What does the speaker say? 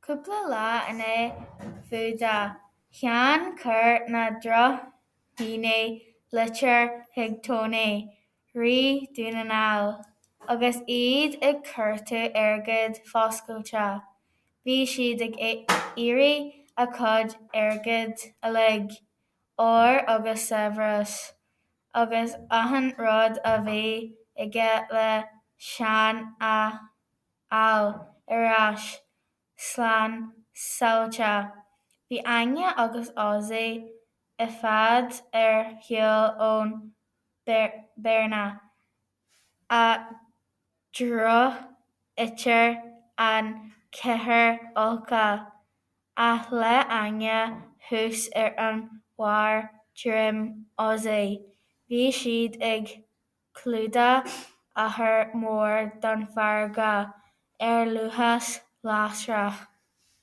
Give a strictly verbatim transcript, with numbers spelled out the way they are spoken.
Cúpla lá i ndiaidh fuadach Sheáin chuir na drochdhaoine litir chuig Tony, Rí Dhún na nGall, agus iad ag cuartú airgead fuascailte. Bhí siad ag iarraidh a chuid airgid uilig, ór agus saibhreas, agus achan rud a bhí aige le Seán a fháil ar ais slán sábháilte. Bhí Áine agus Ozzy i bhfad ar shiúl ón mBearna, a gcruthaítear an ceathrar olca, ach le Áine thuas ar an bharr droim Ozzy, bhí siad ag clúdach achar mór den fharraige ar luas lasrach.